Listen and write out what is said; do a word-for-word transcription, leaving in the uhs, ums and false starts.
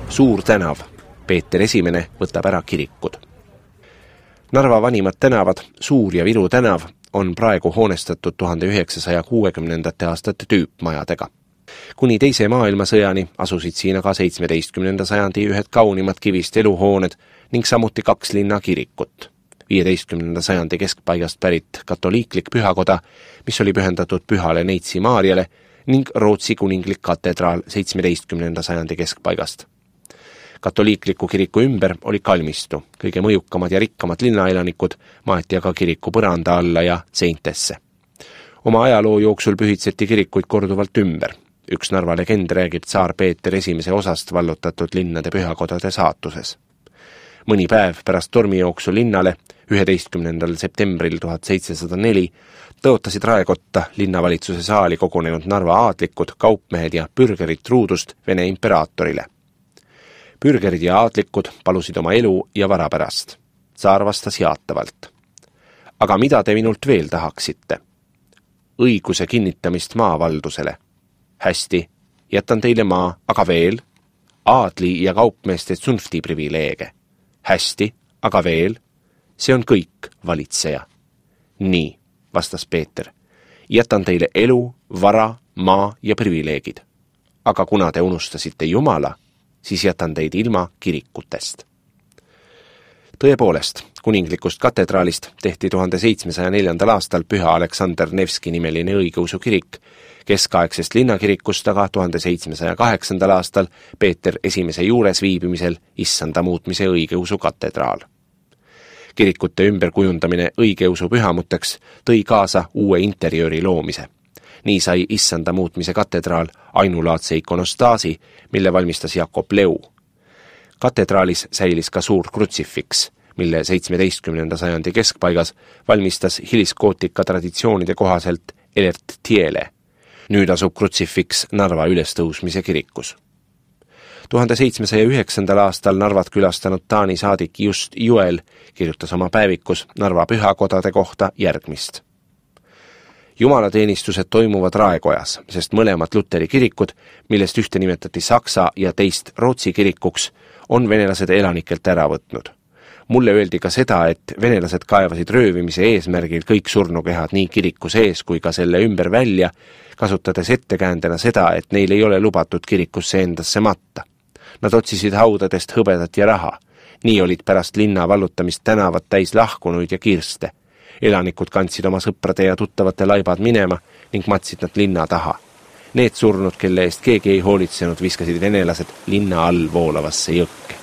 Suur tänav, Peeter Esimene võtab ära kirikud. Narva vanimad tänavad, Suur ja Viru tänav, on praegu hoonestatud tuhande üheksasaja kuuekümnendate aastate tüüpmajadega. Kuni teise maailmasõjani asusid siin aga seitsmeteistkümnenda sajandi ühed kaunimad kivist eluhooned ning samuti kaks linna kirikut. viieteistkümnenda sajandi keskpaigast pärit katoliiklik pühakoda, mis oli pühendatud pühale Neitsi Maarjale, ning Rootsi kuninglik katedraal seitsmeteistkümnenda sajandi keskpaigast. Katoliikliku kiriku ümber oli kalmistu, kõige mõjukamad ja rikkamad linnaelanikud maeti aga kiriku põranda alla ja seintesse. Oma ajaloo jooksul pühitseti kirikuid korduvalt ümber. Üks Narva legend räägib tsaar Peeter Esimese osast vallutatud linnade pühakodade saatuses. Mõni päev pärast tormijooksu linnale, üheteistkümnendal septembril tuhat seitsesada neli, tõotasid raekotta linnavalitsuse saali kogunenud Narva aadlikud, kaupmehed ja pürgerid truudust Vene imperaatorile. Pürgerid ja aadlikud palusid oma elu ja vara pärast. Tsaar vastas jaatavalt. Aga mida te minult veel tahaksite? Õiguse kinnitamist maavaldusele. Hästi, jätan teile maa, aga veel? Aadli ja kaupmeeste tsunfti privileege. Hästi, aga veel? See on kõik, valitseja. Nii, vastas Peeter. Jätan teile elu, vara, maa ja privileegid. Aga kuna te unustasite Jumala, siis jätan teid ilma kirikutest. Tõepoolest, kuninglikust katedraalist tehti tuhande seitsmesaja neljandal aastal Püha Aleksander Nevski nimeline õigeusu kirik, keskaegsest linnakirikust aga tuhande seitsmesaja kaheksandal aastal Peeter Esimese juures viibimisel issanda muutmise õigeusu katedraal. Kirikute ümberkujundamine õigeusu pühamuteks tõi kaasa uue interjööri loomise. Nii sai issanda muutmise katedraal ainulaadse ikonostaasi, mille valmistas Jakob Leu. Katedraalis säilis ka suur krutsifiks, mille seitsmeteistkümnenda sajandi keskpaigas valmistas hiliskootika traditsioonide kohaselt Elert Tiele. Nüüd asub krutsifiks Narva ülestõusmise kirikus. tuhande seitsmesaja üheksandal aastal Narvat külastanud Taani saadik Just Juel kirjutas oma päevikus Narva pühakodade kohta järgmist. Jumalateenistused toimuvad Raekojas, sest mõlemad Luteri kirikud, millest ühte nimetati Saksa ja teist Rootsi kirikuks, on venelased elanikelt ära võtnud. Mulle öeldi ka seda, et venelased kaevasid röövimise eesmärgil kõik surnukehad nii kiriku sees kui ka selle ümber välja, kasutades ettekäändena seda, et neil ei ole lubatud kirikusse endasse matta. Nad otsisid haudadest hõbedat ja raha. Nii olid pärast linna vallutamist tänavad täis lahkunuid ja kirste. Elanikud kandsid oma sõprade ja tuttavate laibad minema ning matsid nad linna taha. Need surnud, kelle eest keegi ei hoolitsenud, viskasid venelased linna all voolavasse jõkke.